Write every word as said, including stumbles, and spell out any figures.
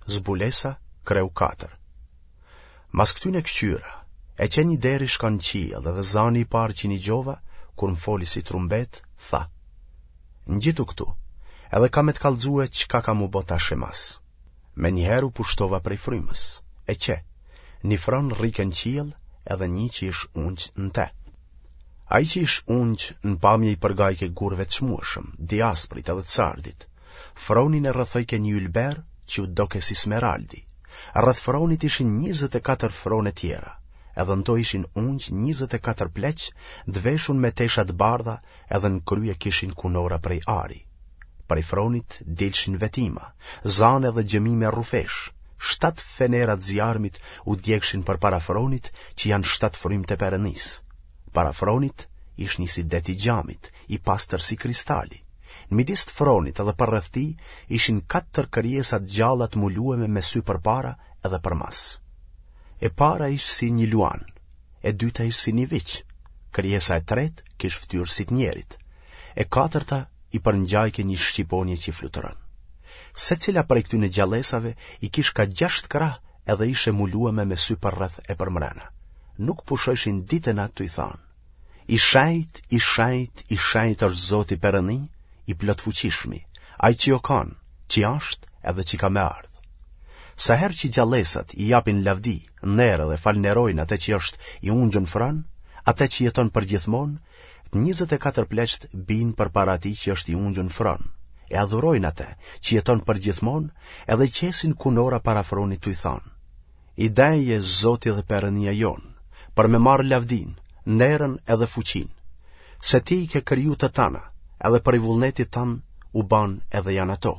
Zbulesa, kreu katër. Mas këtyne këqyra, e qe një derë ish kanë në qiell edhe zani i parë që nigjova, kur më foli si trumbetë, tha, Ngjitu këtu, edhe kam me të kallxue çka ka m'u bo tash e mas. Menjëherë u pushtova prej frymës, e qe, një fron rrike në qiell edhe një që ish ungj në te. Ai që ish ungj në pamje i përngajke gurëve të çmueshëm, diasprit edhe të sardit. Fronin e rrethojke një ylber që u doke si smeraldi. Rreth fronit ishin njëzet e katër frone tjera, edhe në to ishin ungj njëzet e katër pleq, të veshun me tesha të bardha edhe në krye kishin kunora prej ari. Prej fronit dilshin vetima, zane dhe gjëmime rrufesh. Shtatë fenera të zjarmit u djegshin përpara fronit që janë shtatë frymt e Perëndisë. Para fronit ish një si det i xhamit, i pastër si kristali. Në midis të fronit edhe përreth tij ishin katër krijesa të gjalla të mulueme me sy përpara edhe përmas. E para ish si një luan, e dyta ish si një viç, krijesa e tretë kish fytyrë si të njerit, e katërta i përngjajke një shqiponje që fluturon. Secila prej këtyne gjallesave i kish ka gjashtë krah edhe ish e mulueme me sy përreth e përmrena. Nuk pushojshin ditë e natë tuj thanë: I shenjtë, i shenjtë, i shenjtë është Zoti Perëndi, i plotfuqishmi, ai që o kanë, që është edhe që ka me ardhë. Sa herë që gjallesat i japin lavdi, nder dhe falënderojnë atë që është i ungjun n'fron, atë që jeton përgjithmonë, të njëzet e katër pleqtë bijnë përpara atij që është i ungjun n'fron, e adhurojnë atë që jeton përgjithmonë, edhe qesin kunora para fronit tuj thanë: I denjë je Zoti dhe Perëndia jonë, për me marrë lavdinë, nderën edhe fuqinë, se ti i ke kriju të tana, edhe prej vullnetit tënd u banë edhe janë ato.